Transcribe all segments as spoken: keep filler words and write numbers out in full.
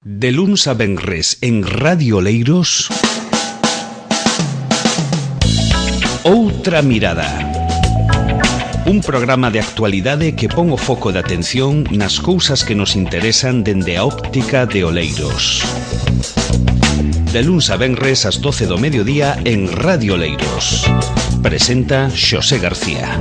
De luns a venres en Radio Oleiros, Outra Mirada. Un programa de actualidade que pon o foco de atención nas cousas que nos interesan dende a óptica de Oleiros. De luns a venres ás doce do mediodía en Radio Oleiros. Presenta Xosé García.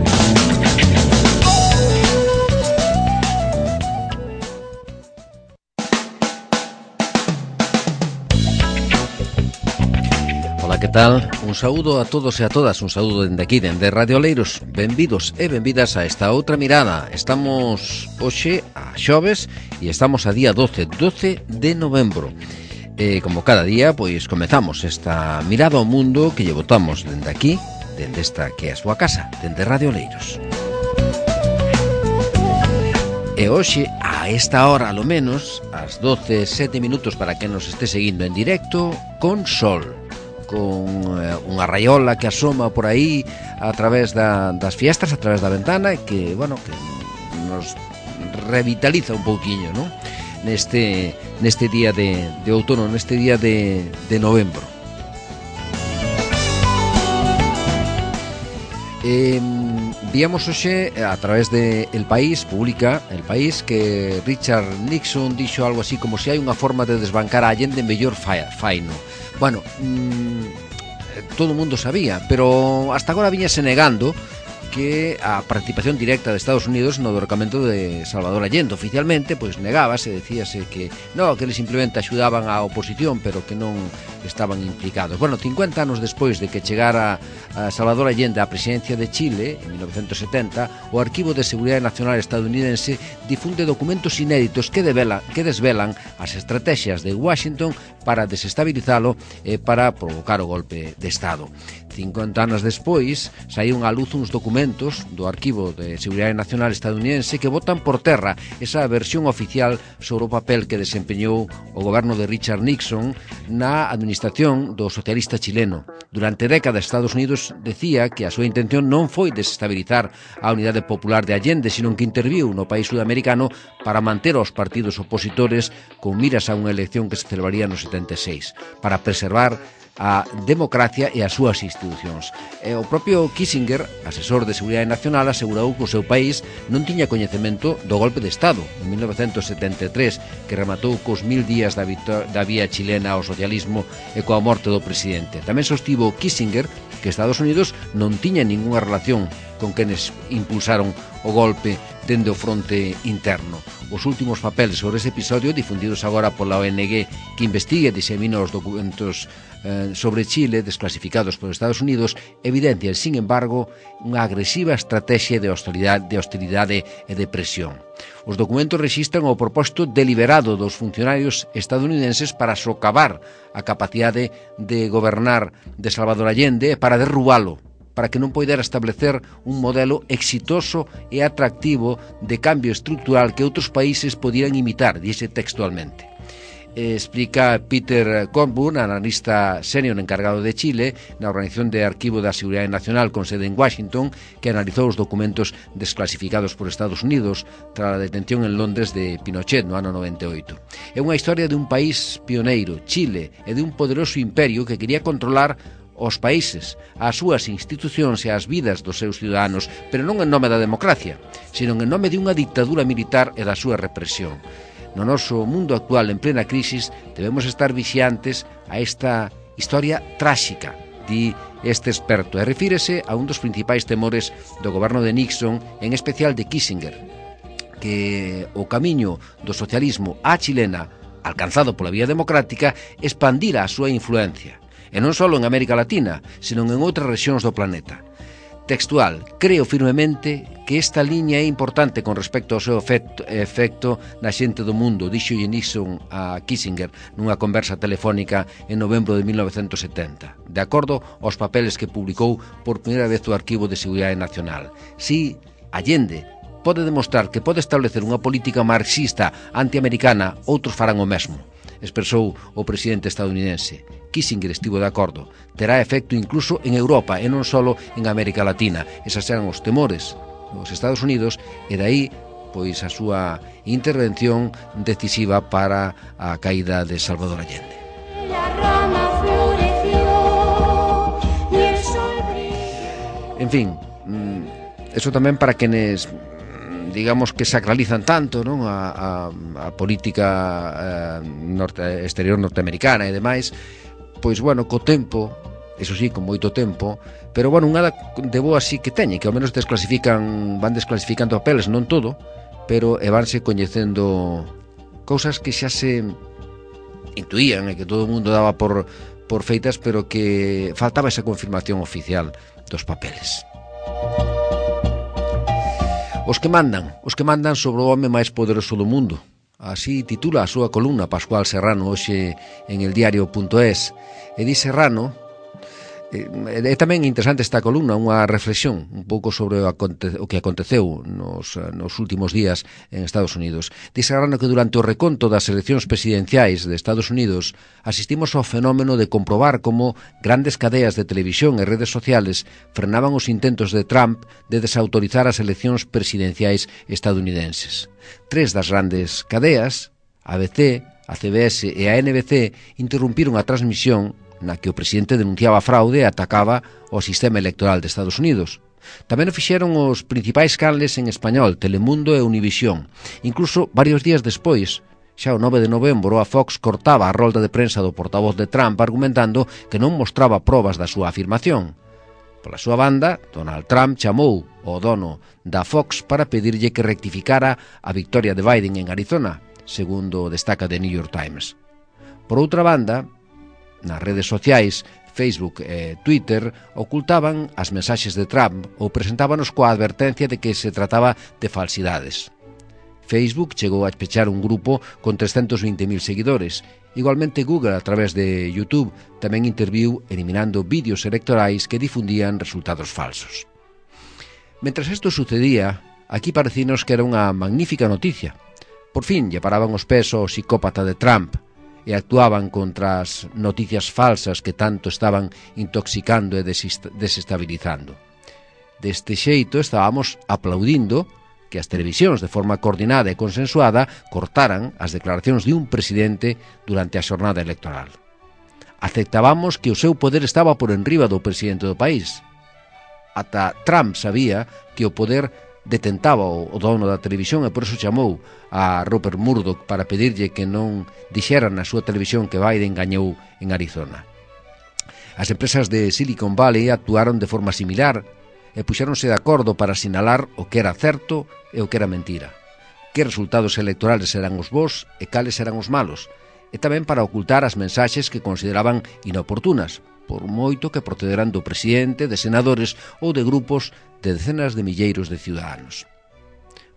Ola, que tal? Un saúdo a todos e a todas, un saúdo dende aquí, dende Radio Oleiros. Benvidos e benvidas a esta outra mirada. Estamos hoxe a xoves e estamos a día doce, doce de novembro. E como cada día, pois comezamos esta mirada ao mundo que lle botamos dende aquí, dende esta que é a súa casa, dende Radio Oleiros. E hoxe, a esta hora, alo menos, ás doce e sete minutos para que nos este seguindo en directo, con sol, con eh, unha raiola que asoma por aí a través da, das fiestras, a través da ventana, e que, bueno, que nos revitaliza un pouquiño, non? Neste, neste día de, de outono, neste día de, de novembro. Eh, víamos hoxe a través de El País, publica El País, que Richard Nixon dixo algo así como se hai unha forma de desbancar a Allende mellor faino. Bueno, mmm, todo o mundo sabía, pero hasta agora viñase negando que a participación directa de Estados Unidos no derrocamento de Salvador Allende. Oficialmente, pois negábase, decíase que no, que eles simplemente axudaban á oposición, pero que non estaban implicados. Bueno, cincuenta anos despois de que chegara a Salvador Allende á presidencia de Chile, en mil novecientos setenta, o Arquivo de Seguridade Nacional estadounidense difunde documentos inéditos que, devela, que desvelan as estrategias de Washington para desestabilizalo e para provocar o golpe de Estado. cincuenta anos despois, saíron á luz uns documentos do Arquivo de Seguridade Nacional estadounidense que botan por terra esa versión oficial sobre o papel que desempeñou o goberno de Richard Nixon na administración do socialista chileno. Durante décadas, Estados Unidos decía que a súa intención non foi desestabilizar a unidade popular de Allende, sino que interviu no país sudamericano para manter aos partidos opositores con miras a unha elección que se celebraría no setenta e seis, para preservar a democracia e as súas institucións. E o propio Kissinger, asesor de Seguridade Nacional, asegurou que o seu país non tiña coñecemento do golpe de Estado en mil novecientos setenta e tres, que rematou cos mil días da, da vía chilena ao socialismo e coa morte do presidente. Tamén sostivo Kissinger que Estados Unidos non tiña ningunha relación con quenes impulsaron o golpe dende o fronte interno. Os últimos papeles sobre ese episodio, difundidos agora pola O N G que investiga e disemina os documentos eh, sobre Chile desclasificados por Estados Unidos, evidencian, sin embargo, unha agresiva estrategia de hostilidade, de hostilidade e de presión. Os documentos rexistran o propósito deliberado dos funcionarios estadounidenses para socavar a capacidade de gobernar de Salvador Allende e para derrubalo, para que non poidera establecer un modelo exitoso e atractivo de cambio estructural que outros países podieran imitar, dice textualmente. Explica Peter Coburn, analista senior encargado de Chile na Organización de Arquivo da Seguridade Nacional con sede en Washington, que analizou os documentos desclasificados por Estados Unidos tras a detención en Londres de Pinochet no ano noventa e oito. É unha historia de un país pioneiro, Chile, e de un poderoso imperio que quería controlar os países, as súas institucións e as vidas dos seus ciudadanos, pero non en nome da democracia, sino en nome de unha dictadura militar e da súa represión. No noso mundo actual, en plena crisis, debemos estar vixiantes a esta historia tráxica, di este experto, e refírese a un dos principais temores do goberno de Nixon, en especial de Kissinger, que o camiño do socialismo á chilena, alcanzado pola vía democrática, expandira a súa influencia, e non só en América Latina, sino en outras rexións do planeta. Textual, creo firmemente que esta liña é importante con respecto ao seu efecto, efecto na xente do mundo, dixo Nixon a Kissinger nunha conversa telefónica en novembro de mil novecientos setenta, de acordo aos papeles que publicou por primeira vez o Arquivo de Seguridade Nacional. Si Allende pode demostrar que pode establecer unha política marxista antiamericana, outros farán o mesmo, expresou o presidente estadounidense. Kissinger estivo de acordo. Terá efecto incluso en Europa e non só en América Latina. Esas eran os temores dos Estados Unidos e dai pois a súa intervención decisiva para a caída de Salvador Allende. En fin, eso tamén para quenes, digamos, que sacralizan tanto, non, a, a, a política eh, norte, exterior norteamericana e demais, pois, bueno, co tempo, eso sí, con moito tempo, pero, bueno, unha de boa sí que teñen, que ao menos desclasifican, van desclasificando papeles, non todo, pero e vanse coñecendo cousas que xa se intuían e que todo o mundo daba por, por feitas, pero que faltaba esa confirmación oficial dos papeles. Os que mandan, os que mandan sobre o home máis poderoso do mundo. Así titula a súa columna Pascual Serrano hoxe en el diario punto es. E di Serrano, é tamén interesante esta columna, unha reflexión un pouco sobre o, aconte, o que aconteceu nos, nos últimos días en Estados Unidos. Di Serrano que durante o reconto das eleccións presidenciais de Estados Unidos asistimos ao fenómeno de comprobar como grandes cadeas de televisión e redes sociales frenaban os intentos de Trump de desautorizar as eleccións presidenciais estadounidenses. Tres das grandes cadeas, A B C, a C B S e a N B C, interrumpiron a transmisión na que o presidente denunciaba fraude e atacaba o sistema electoral de Estados Unidos. Tamén o fixeron os principais canles en español, Telemundo e Univisión. Incluso, varios días despois, xa o nove de novembro, a Fox cortaba a rolda de prensa do portavoz de Trump argumentando que non mostraba probas da súa afirmación. Pola súa banda, Donald Trump chamou ao dono da Fox para pedirlle que rectificara a victoria de Biden en Arizona, segundo destaca The New York Times. Por outra banda, nas redes sociais, Facebook e Twitter ocultaban as mensaxes de Trump ou presentábanos coa advertencia de que se trataba de falsidades. Facebook chegou a pechar un grupo con trescentos veinte mil seguidores. Igualmente Google, a través de YouTube, tamén interviu eliminando vídeos electorais que difundían resultados falsos. Mentras isto sucedía, aquí parecinos que era unha magnífica noticia. Por fin lle paraban os pés ao psicópata de Trump e actuaban contra as noticias falsas que tanto estaban intoxicando e desestabilizando. Deste xeito estábamos aplaudindo que as televisións de forma coordinada e consensuada cortaran as declaracións de un presidente durante a xornada electoral. Aceptábamos que o seu poder estaba por enriba do presidente do país. Ata Trump sabía que o poder detentaba o dono da televisión e por eso chamou a Rupert Murdoch para pedirlle que non dixera na súa televisión que Biden gañou en Arizona. As empresas de Silicon Valley actuaron de forma similar e puxéronse de acordo para sinalar o que era certo e o que era mentira, que resultados electorales eran os bons e cales eran os malos, e tamén para ocultar as mensaxes que consideraban inoportunas, por moito que procederan do presidente, de senadores ou de grupos de decenas de milleiros de ciudadanos.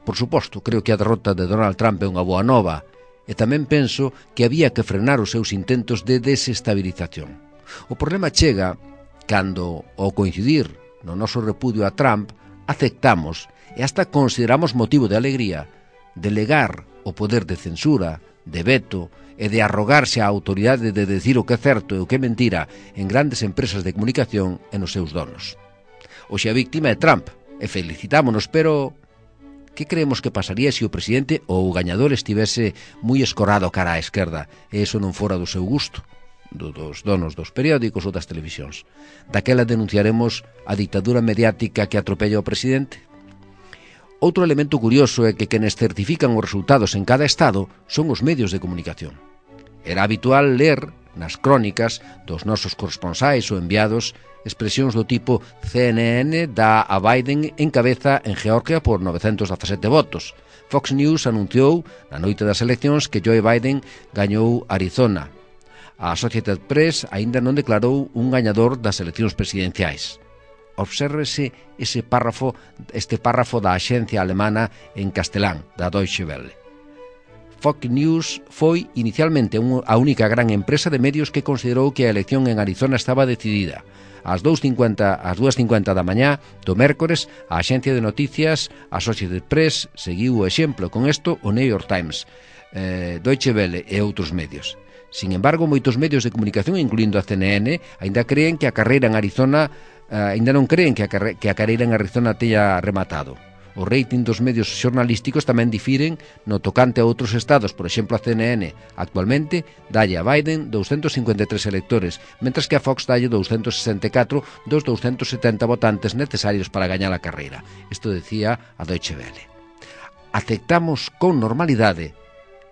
Por suposto, creo que a derrota de Donald Trump é unha boa nova, e tamén penso que había que frenar os seus intentos de desestabilización. O problema chega cando, ao coincidir no noso repudio a Trump, aceptamos e hasta consideramos motivo de alegría delegar o poder de censura, de veto e de arrogarse a autoridade de decir o que é certo e o que é mentira en grandes empresas de comunicación e nos seus donos. Hoxe a víctima é Trump e felicitámonos, pero que creemos que pasaría se o presidente ou o gañador estivese moi escorado cara á esquerda e iso non fora do seu gusto, do, dos donos dos periódicos ou das televisións? Daquela denunciaremos a ditadura mediática que atropella o presidente? Outro elemento curioso é que quenes certifican os resultados en cada estado son os medios de comunicación. Era habitual ler nas crónicas dos nosos corresponsais ou enviados expresións do tipo C N N dá a Biden en cabeza en Georgia por novecentos dezasete votos. Fox News anunciou na noite das eleccións que Joe Biden gañou Arizona. A Associated Press aínda non declarou un gañador das eleccións presidenciais. Obsérvese ese párrafo, este párrafo da axencia alemana en castelán, da Deutsche Welle. Fox News foi inicialmente a única gran empresa de medios que considerou que a elección en Arizona estaba decidida. Ás dúas e cincuenta da mañá do mércores, a axencia de noticias Associated Press seguiu o exemplo. Con isto, o New York Times, eh, Deutsche Welle e outros medios. Sin embargo, moitos medios de comunicación, incluindo a C N N, aínda creen que a carreira en Arizona, eh, aínda non creen que a, carre, que a carreira en Arizona teña rematado. O rating dos medios xornalísticos tamén difiren no tocante a outros estados. Por exemplo, a C N N actualmente dalle a Biden douscentos cincuenta e tres electores, mentras que a Fox dalle douscentos sesenta e catro dos douscentos setenta votantes necesarios para gañar a carreira. Isto decía a Deutsche Welle. Aceptamos con normalidade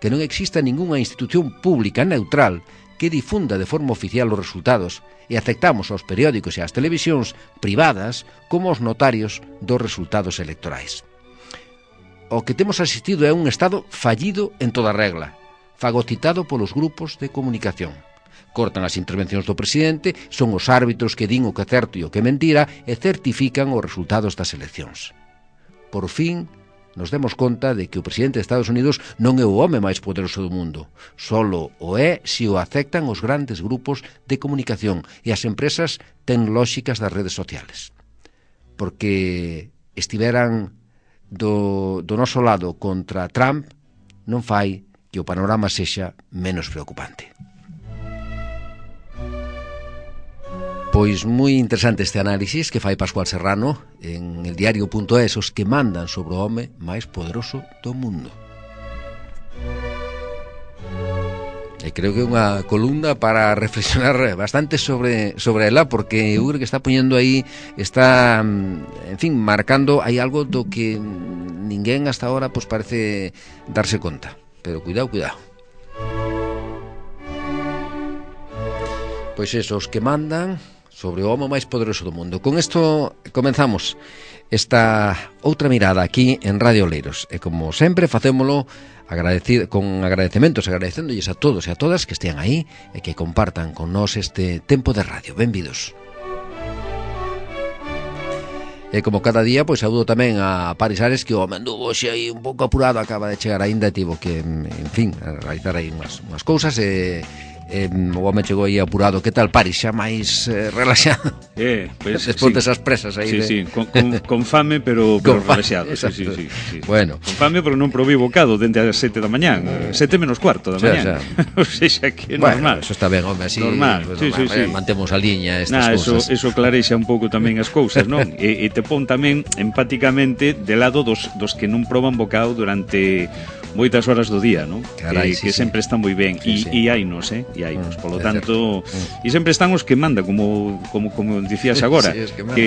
que non exista ningunha institución pública neutral que difunda de forma oficial os resultados e aceptamos aos periódicos e ás televisións privadas como os notarios dos resultados electorais. O que temos asistido é un Estado fallido en toda regla, fagocitado polos grupos de comunicación. Cortan as intervencións do presidente, son os árbitros que din o que é certo e o que é mentira e certifican os resultados das eleccións. Por fin, nos demos conta de que o presidente de Estados Unidos non é o home máis poderoso do mundo. Solo o é se o aceptan os grandes grupos de comunicación e as empresas tecnolóxicas das redes sociales. Porque estiveran do, do noso lado contra Trump, non fai que o panorama sexa menos preocupante. Pois moi interesante este análisis que fai Pascual Serrano en el diario punto es, os que mandan sobre o home máis poderoso do mundo. E creo que é unha columna para reflexionar bastante sobre sobre ela, porque eu creo que está poñendo aí, está, en fin, marcando aí algo do que ninguén hasta ahora pues parece darse conta. Pero cuidado, cuidado. Pois eso, os que mandan sobre o home máis poderoso do mundo. Con isto comenzamos esta outra mirada aquí en Radio Oleiros. E como sempre facémolo agradecido, con agradecementos, agradecéndolles a todos e a todas que estean aí e que compartan con nós este tempo de radio. Benvidos. E como cada día, pois saúdo tamén a Paris Ares, que o home anduvo xe aí un pouco apurado, acaba de chegar aínda e tivo que, en fin, realizar aí unhas, unhas cousas e Eh, o home chegou aí apurado. Que tal, Paris? Xa máis eh, relaxado? Eh, pues, despois sí. desas presas aí. Sí, de... sí, con, con, con fame, pero, pero con relaxado. Sí, sí, sí, sí, sí. Bueno. Con fame, pero non probei bocado dende as sete da mañán. Sete menos cuarto da mañán. O sea, que é bueno, normal. Eso está ben, home, así. Normal, pues, sí, normal, sí, sí. Mantemos a liña estas nah, cousas. Eso, eso clarexa un pouco tamén as cousas, non? e, e te pon tamén empáticamente de lado dos, dos que non proban bocado durante moitas horas do día, non? Carai, que, sí, que sí. sempre están moi ben. Sí, e, sí. e hainos, eh? E hainos. Mm, Polo é tanto, mm. e sempre están os que manda, como como como dicías agora, sí, que, que,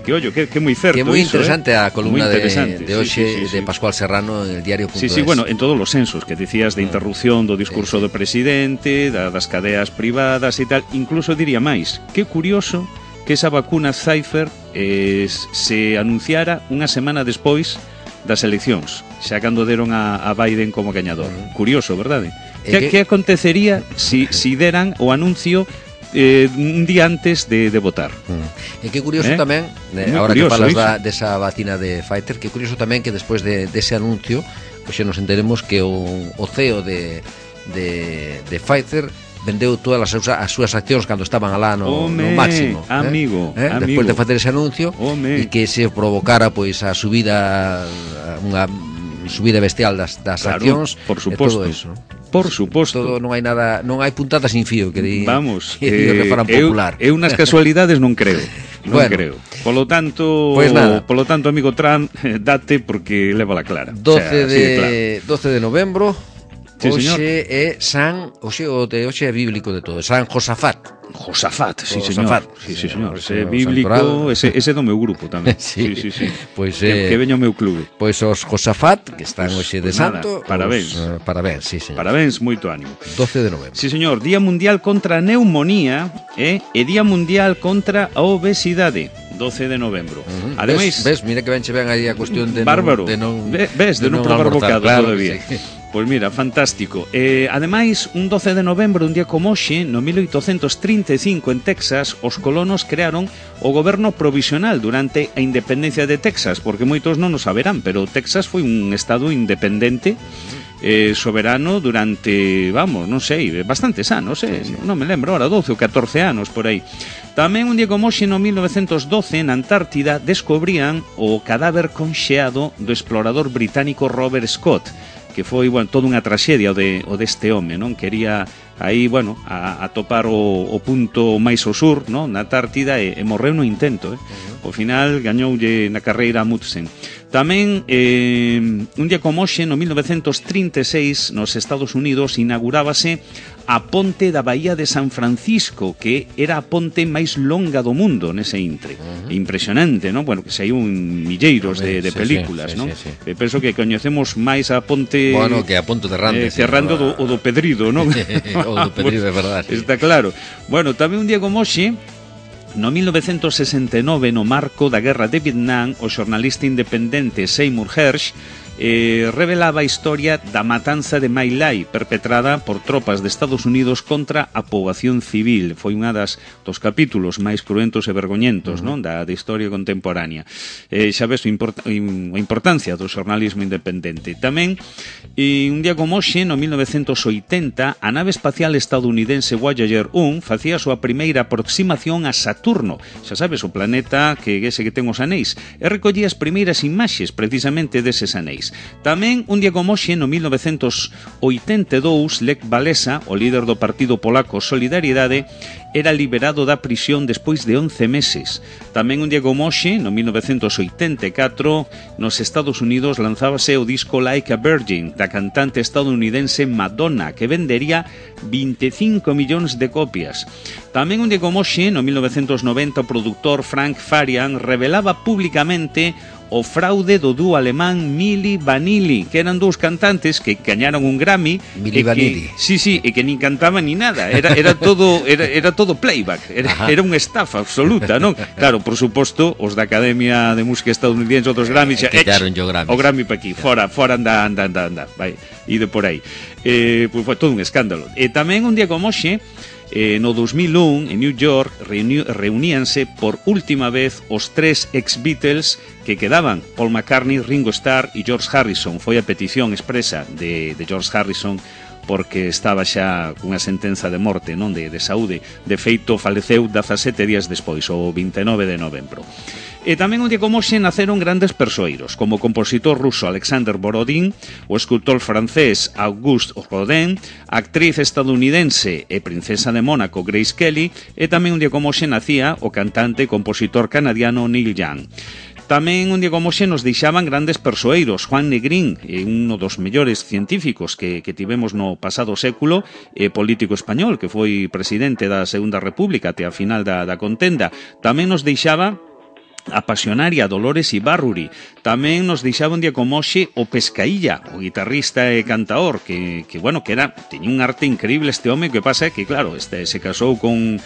que, ollo, que, que moi certo. Que é moi iso, interesante eh? a columna de, de hoxe sí, sí, sí, de sí. Pascual Serrano en el diario punto es. Sí, sí, bueno, en todos os sensos que dicías de interrupción do discurso sí, sí. do presidente, da, das cadeas privadas e tal, incluso diría máis, que curioso que esa vacuna Pfizer eh, se anunciara unha semana despois das eleccións, xa cando deron a, a Biden como gañador. Uh-huh. Curioso, verdade? Que, que... que acontecería si, si deran o anuncio eh, un día antes de, de votar? Uh-huh. E que curioso eh? tamén, eh, ahora curioso, que falas da, desa vacina de Pfizer, que curioso tamén que despois de, dese anuncio, pois xa nos enteremos que o, o C E O de, de, de Pfizer vendeu todas as, as súas accións cando estaban alá no, Home, no máximo, amigo, eh? Eh? amigo. Despois de facer ese anuncio e que se provocara pois a subida, unha subida bestial das, das claro, accións, por suposto. E todo eso. Por suposto. Todo non hai nada, non hai puntada sin fío que di, vamos, que, eh, que faran popular. Eu, eu nas casualidades non creo. Non bueno, creo. Polo tanto, pues nada. Polo tanto, amigo Trump, date porque leva la clara. doce, o sea, de, de claro. doce de novembro. Sí, hoxe é San, hoxe o de hoxe é bíblico de todo, San Josafat. Josafat, sí, Josafat. señor. Sí, sí, señor. Ese Ese bíblico, ese, ese do meu grupo tamén. sí, sí, sí, sí. Pois que, eh, que veña o meu clube. Pois os Josafat, que están pues, hoxe de pues santo. Nada, parabéns. Os, uh, parabéns, sí, señor. Parabéns, moito ánimo. doce de novembro. Sí, señor. Día Mundial contra a Neumonía eh, e Día Mundial contra a Obesidade. doce de novembro. Uh-huh. Ademais, ves, ves, mira que ben che ven aí a cuestión de bárbaro. non, de non ves, de, de non probar bocado claro todavía. Sí. Pois mira, fantástico. Eh, ademais, un doce de novembro, un día como hoxe, no mil oitocentos trinta e cinco en Texas, os colonos crearon o goberno provisional durante a independencia de Texas, porque moitos non o saberán, pero Texas foi un estado independente eh, soberano durante, vamos, non sei, bastantes anos, eh, sí, sí. non me lembro ahora, doce ou catorce anos por aí. Tamén un día como hoxe, no mil novecentos doce, na Antártida, descubrían o cadáver conxeado do explorador británico Robert Scott. que foi, bueno, toda unha traxedia o, de, o deste home, non? Quería aí, bueno, a, a topar o, o punto máis ao sur, non? Na Antártida, e, e morreu no intento, eh? Ao final gañoulle na carreira a Amundsen. Tamén, eh, un día como hoxe, no mil novecentos trinta e seis, nos Estados Unidos, inaugurábase a ponte da Bahía de San Francisco, que era a ponte máis longa do mundo nese intre. Uh-huh. Impresionante, non? Bueno, que saiu un milleiros de, de sí, películas, sí, non? Sí, sí. Penso que coñecemos máis a ponte... Bueno, que a ponte de Rande. Eh, cerrando do, o do Pedrido, non? O do Pedrido, é verdade. Sí. Está claro. Bueno, tamén un día como hoxe, no mil novecentos sesenta e nove, no marco da Guerra de Vietnam, o xornalista independente Seymour Hersh eh, revelaba a historia da matanza de My Lai, perpetrada por tropas de Estados Unidos contra a poboación civil. Foi unha das dos capítulos máis cruentos e vergoñentos, uh-huh. non, da, da historia contemporánea. Eh, xa ves a, import, a importancia do xornalismo independente. Tamén, e un día como hoxe, no mil novecentos oitenta, a nave espacial estadounidense Voyager un facía a súa primeira aproximación a Saturno, xa sabes, o planeta que ese que ten os anéis, e recollía as primeiras imaxes precisamente deses anéis. Tamén, un día como hoxe, no mil novecentos oitenta e dous, Lech Walesa, o líder do partido polaco Solidariedade, era liberado da prisión despois de once meses. Tamén un día como hoxe, no mil novecentos oitenta e catro, nos Estados Unidos lanzábase o disco Like a Virgin, da cantante estadounidense Madonna, que vendería vinte e cinco millóns de copias. Tamén un día como hoxe, no mil novecentos noventa, o produtor Frank Farian revelaba públicamente o fraude do dúo alemán Milli Vanilli, que eran dous cantantes que gañaron un Grammy. Milli Vanilli. Sí, sí, e que nin cantaban ni nada, era, era todo era, era todo playback, era, era unha estafa absoluta, non? Claro, por suposto, os da Academia de Música estadounidense, outros Grammys, eh, quitaron o Grammy. O Grammy pa aquí, fora, fora anda, anda, anda, anda, vai, e de por aí. Eh, pois foi todo un escándalo. E tamén un día como hoxe, Eh, no dos mil un, en New York, reuni reuníanse por última vez os tres ex-Beatles que quedaban, Paul McCartney, Ringo Starr e George Harrison. Foi a petición expresa de, de George Harrison, porque estaba xa cunha sentenza de morte, non, de, de saúde. De feito, faleceu dezasete días despois, o vinte e nove de novembro. E tamén un día como hoxe naceron grandes persoeiros, como o compositor ruso Alexander Borodin, o escultor francés Auguste Rodin, a actriz estadounidense e princesa de Mónaco Grace Kelly, e tamén un día como hoxe nacía o cantante e compositor canadiano Neil Young. Tamén un día como hoxe nos deixaban grandes persoeiros. Juan Negrín, un dos mellores científicos que, que tivemos no pasado século, e político español, que foi presidente da Segunda República até a final da, da contenda. Tamén nos deixaba a pasionaria Dolores Ibarruri. Tamén nos deixaba un día como hoxe o Pescailla, o guitarrista e cantaor, que, que bueno, que era, teña un arte increíble este home, que pasa é que, claro, este se casou con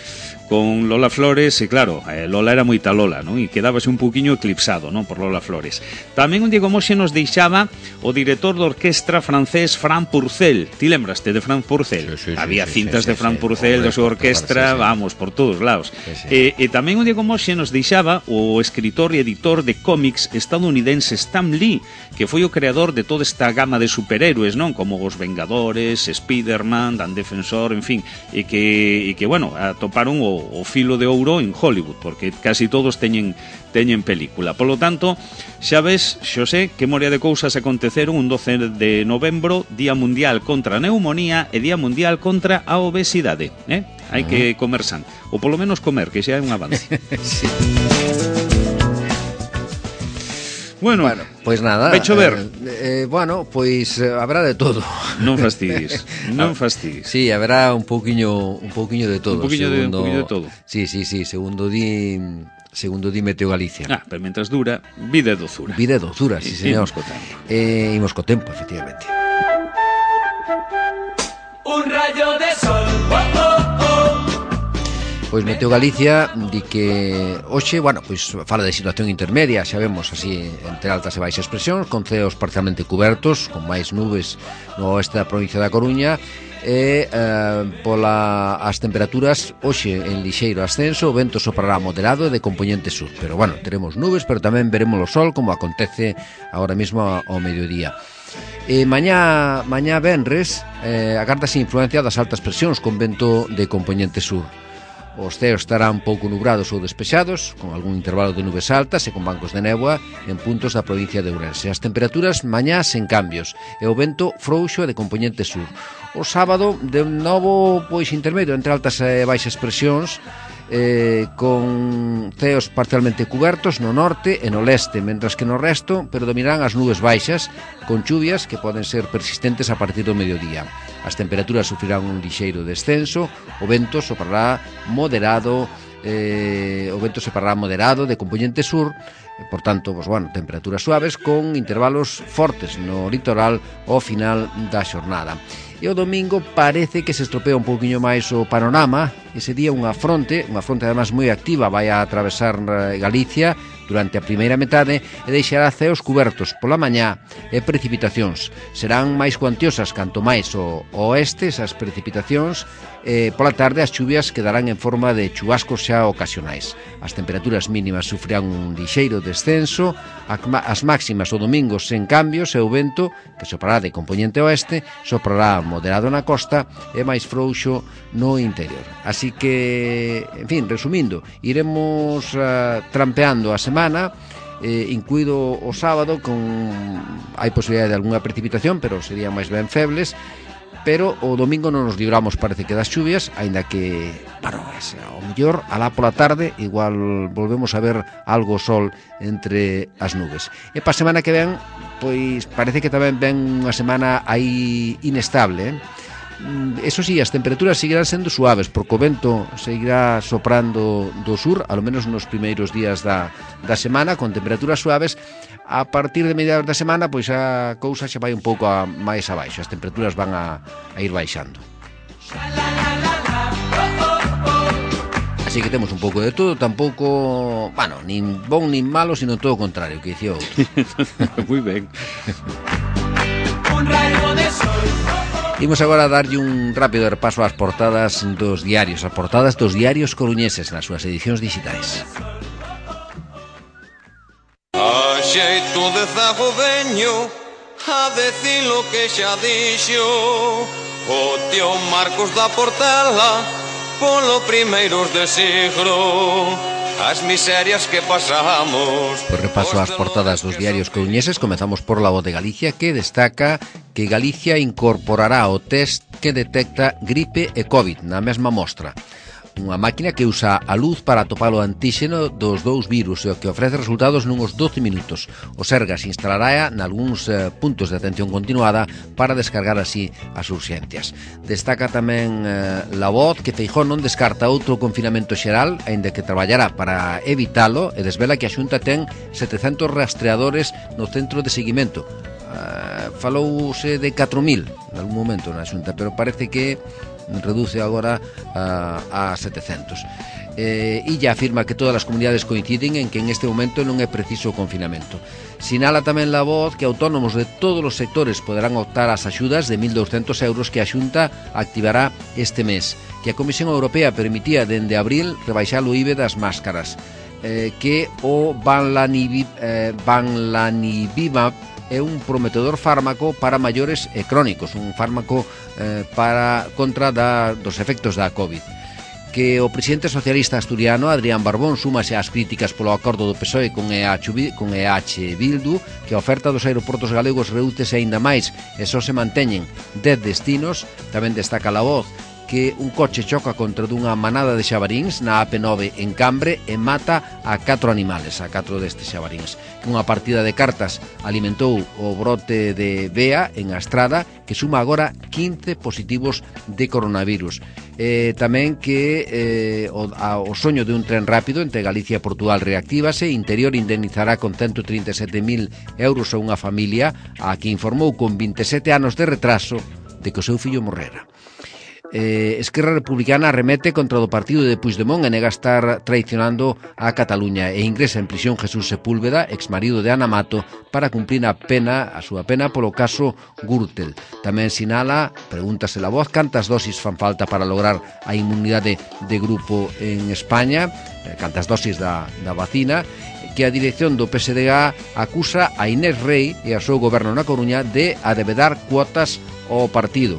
con Lola Flores, e claro, eh, Lola era moita Lola, non? E quedábase un poquinho eclipsado, non? Por Lola Flores. Tamén un día como hoxe nos deixaba o director de orquestra francés Fran Purcell. Ti lembraste de Fran Purcell? Sí, sí, Había sí, cintas sí, de Fran sí, Purcell, sí, da súa orquestra, sí, sí. vamos, por todos lados. Sí, sí. E, e tamén un día como hoxe nos deixaba o escritor e editor de cómics estadounidense Stan Lee, que foi o creador de toda esta gama de superhéroes, non? Como os Vengadores, Spiderman, Dan Defensor, en fin, e que, e que bueno, atoparon o, o filo de ouro en Hollywood, porque casi todos teñen teñen película. Por lo tanto, xa ves, Xosé, que moria de cousas aconteceron un doce de novembro, Día Mundial contra a Neumonía e Día Mundial contra a Obesidade, eh? Hai uh-huh. que comer san, ou polo menos comer, que xa é un avance. Sí. Bueno, bueno, pois pues nada. Vai chover. Eh, eh, bueno, pois pues, eh, habrá de todo. Non fastidies, non fastidies. Sí, habrá un pouquiño, un pouquiño de todo. Un pouquiño de, un pouquiño de todo. Sí, sí, sí, segundo di, segundo di Meteo Galicia. Ah, pero mentras dura, vida e dozura. Vida e dozura, sí, sí, señor. Imos co tempo. Eh, imos co tempo, efectivamente. Un rayo de sol, oh, oh, oh. Pois Meteo Galicia di que hoxe, bueno, pois fala de situación intermedia, xa vemos así entre altas e baixas presións, con ceos parcialmente cubertos, con máis nubes no oeste da provincia da Coruña, e eh, pola as temperaturas hoxe en lixeiro ascenso, o vento soprará moderado e de componente sur, pero bueno, teremos nubes, pero tamén veremos o sol como acontece agora mesmo ao mediodía. E mañá, mañá venres, eh, agárdase influencia das altas presións con vento de componente sur. Os ceos estarán pouco nubrados ou despexados, con algún intervalo de nubes altas e con bancos de néboa en puntos da provincia de Ourense. As temperaturas mañá sen cambios e o vento frouxo e de componente sur. O sábado, de novo, pois intermedio entre altas e baixas presións, eh, con ceos parcialmente cubertos no norte e no leste, mentras que no resto predominarán as nubes baixas, con chuvias que poden ser persistentes a partir do mediodía. As temperaturas sufrirán un lixeiro descenso, o vento soprará moderado, eh, o vento soprará moderado de componente sur, por tanto, pues, bueno, temperaturas suaves con intervalos fortes no litoral ao final da xornada. E o domingo parece que se estropea un pouquiño máis o panorama. Ese día unha fronte, unha fronte además moi activa, vai a atravesar Galicia durante a primeira metade e deixará ceos cubertos pola mañá e precipitacións. Serán máis cuantiosas canto máis o oeste esas precipitacións, e pola tarde as chuvias quedarán en forma de chubascos xa ocasionais. As temperaturas mínimas sufrirán un lixeiro descenso, as máximas o domingo sen cambios e o vento, que soprará de componente oeste, soprará moderado na costa e máis frouxo no interior. Así que, en fin, resumindo, iremos uh, trampeando a semana, eh, incluído o sábado, con hai posibilidade de algunha precipitación, pero serían máis ben febles, pero o domingo non nos libramos, parece que, das chuvias, aínda que, bueno, ao mellor, alá pola tarde, igual volvemos a ver algo sol entre as nubes. E para a semana que ven, pois parece que tamén ven unha semana aí inestable, eh? Eso sí, as temperaturas seguirán sendo suaves, porque o vento seguirá soprando do sur, ao menos nos primeiros días da, da semana, con temperaturas suaves. A partir de mediados da semana, pois a cousa xa vai un pouco a, máis abaixo, as temperaturas van a, a ir baixando. Así que temos un pouco de todo, tampouco, bueno, nin bon nin malo, sino todo o contrario, que dicía outro. Moi ben. Un rayo de sol. Imos agora a darlle un rápido repaso ás portadas dos diarios, as portadas dos diarios coruñeses nas súas edicións digitais. A xeito de zago veño a decir lo que xa dixo o tío Marcos da Portela polo primeiros de siglo. As miserias que pasamos. Por repaso ás portadas dos diarios coruñeses, comezamos por La Voz de Galicia, que destaca que Galicia incorporará o test que detecta gripe e COVID na mesma mostra. Unha máquina que usa a luz para atopar o antíxeno dos dous virus e o que ofrece resultados nuns doce minutos. O Sergas instalará nalgúns eh, puntos de atención continuada para descargar así as urxencias. Destaca tamén eh, La Voz que Feijóo non descarta outro confinamento xeral, aínda que traballará para evitalo, e desvela que a Xunta ten setecentos rastreadores no centro de seguimento. Uh, falouse de catro mil en algún momento na Xunta, pero parece que reduce agora a, a setecentos. Eh, e ya afirma que todas as comunidades coinciden en que en este momento non é preciso o confinamento. Sinala tamén La Voz que autónomos de todos os sectores poderán optar ás axudas de mil douscentos euros que a Xunta activará este mes, que a Comisión Europea permitía dende abril rebaixar o I V A das máscaras, eh, que o Banlanivimab eh, Banlanivimab é un prometedor fármaco para maiores e crónicos, un fármaco eh, para contra da, dos efectos da COVID. Que o presidente socialista asturiano Adrián Barbón súmase ás críticas polo acordo do P S O E con E H, con E H Bildu, que a oferta dos aeroportos galegos redúcese aínda máis e só se manteñen dez destinos. Tamén destaca La Voz que un coche choca contra dunha manada de xabaríns na A P nove en Cambre e mata a catro animales, a catro destes xabaríns. Que unha partida de cartas alimentou o brote de V E A en Astrada, que suma agora quince positivos de coronavirus. Eh, tamén que eh, o, a, o soño de un tren rápido entre Galicia e Portugal reactívase. Interior indemnizará con ciento trinta e sete mil euros a unha familia a que informou con vinte e sete anos de retraso de que o seu fillo morrera. Eh, Esquerra Republicana arremete contra o partido de Puigdemont e nega estar traicionando a Cataluña e ingresa en prisión Jesús Sepúlveda, exmarido de Ana Mato, para cumplir a pena, a súa pena polo caso Gürtel. Tamén sinala, pregúntase La Voz, cantas dosis fan falta para lograr a inmunidade de grupo en España, cantas dosis da, da vacina, que a dirección do P S D G acusa a Inés Rei e ao seu goberno na Coruña de adevedar cuotas ao partido.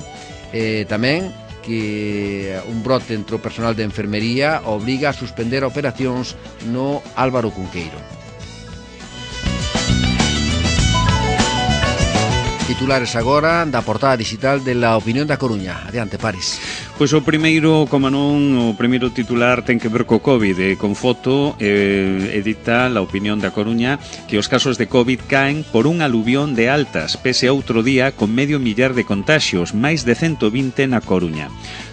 Eh, tamén que un brote entre o personal de enfermería obriga a suspender operacións no Álvaro Cunqueiro. Titulares agora da portada digital de La Opinión da Coruña. Adiante, Paris. Pois o primeiro, como non, o primeiro titular ten que ver co COVID, e con foto eh, edita La Opinión da Coruña que os casos de COVID caen por un aluvión de altas, pese a outro día con medio millar de contaxios, máis de cento vinte na Coruña.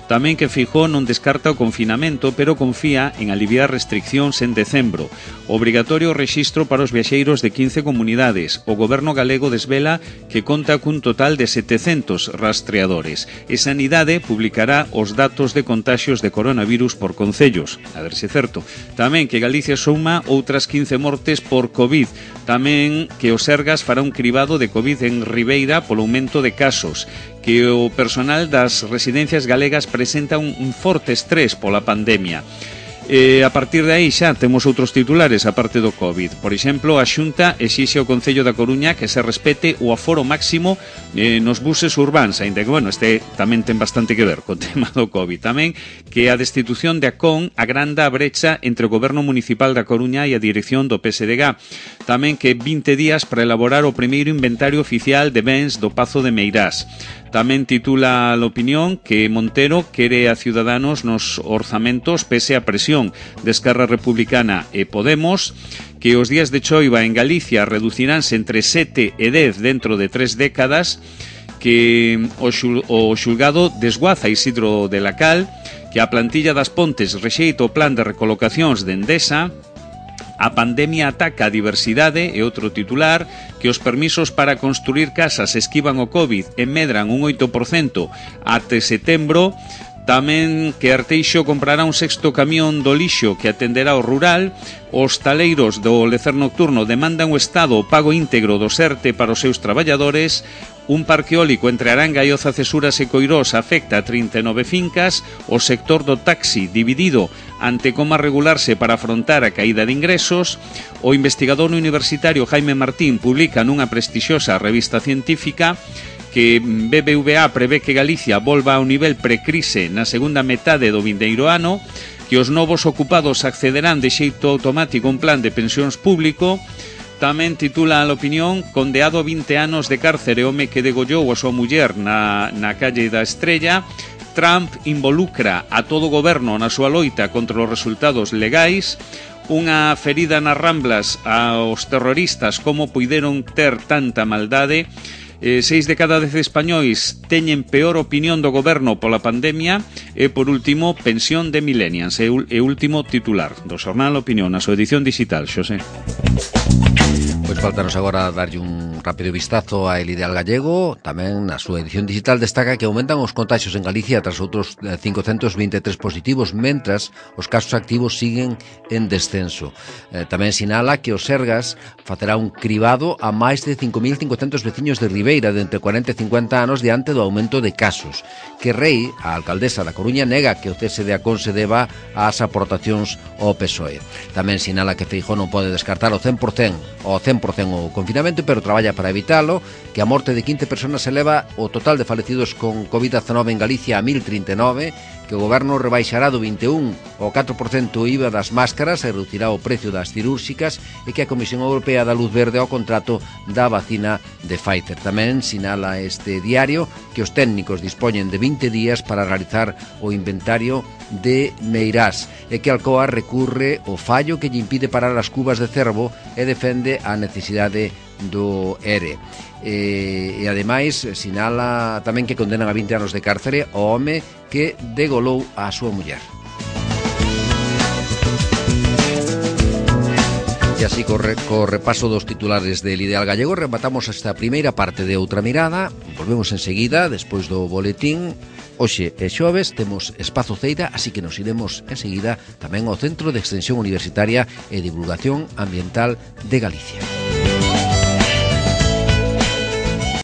Tamén que Feijóo non descarta o confinamento, pero confía en aliviar restriccións en decembro. Obrigatorio rexistro para os viaxeiros de quince comunidades. O goberno galego desvela que conta cun total de setecentos rastreadores. E Sanidade publicará os datos de contaxios de coronavirus por concellos. A ver se é certo. Tamén que Galicia suma outras quince mortes por COVID. Tamén que o Sergas fará un cribado de COVID en Ribeira polo aumento de casos. Que o personal das residencias galegas presenta un, un forte estrés pola pandemia. E a partir de aí xa temos outros titulares aparte do COVID. Por exemplo, a Xunta exixe ao Concello da Coruña que se respete o aforo máximo eh, nos buses urbáns, aínda que, bueno, este tamén ten bastante que ver co tema do COVID. Tamén que a destitución de Acón agranda a brecha entre o Goberno Municipal da Coruña e a dirección do P S D G. Tamén que vinte días para elaborar o primeiro inventario oficial de bens do Pazo de Meirás. Tamén titula a opinión que Montero quere a Ciudadanos nos orzamentos pese a presión de Esquerra Republicana e Podemos, que os días de choiva en Galicia reduciránse entre sete e dez dentro de tres décadas, que o, xul, o xulgado desguaza Isidro de la Cal, que a plantilla das Pontes rexeita o plan de recolocacións de Endesa. A pandemia ataca a diversidade e outro titular, que os permisos para construir casas esquivan o COVID e medran un oito por cento até setembro. Tamén que Arteixo comprará un sexto camión do lixo que atenderá o rural. Os taleiros do lecer nocturno demandan o Estado o pago íntegro do SERTE para os seus traballadores. Un parque eólico entre Aranga e Oza Cesuras e Coirós afecta a trinta e nove fincas. O sector do taxi dividido ante como regularse para afrontar a caída de ingresos. O investigador universitario Jaime Martín publica nunha prestixiosa revista científica que B B V A prevé que Galicia volva ao nivel precrise na segunda metade do vindeiro ano, que os novos ocupados accederán de xeito automático a un plan de pensións público. Tamén titula a opinión: condeado a vinte anos de cárcere home que degollou a súa muller na, na calle da Estrella. Trump involucra a todo o goberno na súa loita contra os resultados legais. Unha ferida nas Ramblas aos terroristas, como puideron ter tanta maldade. Eh, seis de cada dez españois teñen peor opinión do goberno pola pandemia. E, por último, pensión de millennials. E, e último titular do xornal Opinión, na súa edición digital, Xosé. Pois faltanos agora darlle un rápido vistazo a El Ideal Gallego. Tamén na súa edición digital destaca que aumentan os contaxios en Galicia tras outros cincocentos vinte e tres positivos, mentras os casos activos siguen en descenso. Eh, tamén sinala que o Sergas facerá un cribado a máis de cinco mil cincocentos veciños de Ribeira de entre cuarenta e cincuenta anos diante do aumento de casos. Que Rei, a alcaldesa da Coruña, nega que o cese de Acón se deba ás aportacións ao P S O E. Tamén sinala que Feijóo non pode descartar o cen por cen o cen por cen o confinamento, pero traballa para evitalo, que a morte de quince personas eleva o total de falecidos con COVID diecinueve en Galicia a mil trinta e nove, que o goberno rebaixará do vinte e un ao catro por cento o I V A das máscaras e reducirá o precio das cirúrxicas, e que a Comisión Europea dá luz verde ao contrato da vacina de Pfizer. Tamén sinala este diario que os técnicos dispoñen de vinte días para realizar o inventario de Meirás e que Alcoa recurre o fallo que lle impide parar as cubas de cervo e defende a necesidade do E R E. E, e ademais sinala tamén que condenan a vinte anos de cárcere o home que degolou a súa muller. E así corre, co repaso dos titulares del Ideal Gallego rematamos esta primeira parte de Outra Mirada. Volvemos enseguida despois do boletín. Hoxe é xoves, temos Espazo Ceira, así que nos iremos enseguida tamén ao Centro de Extensión Universitaria e Divulgación Ambiental de Galicia.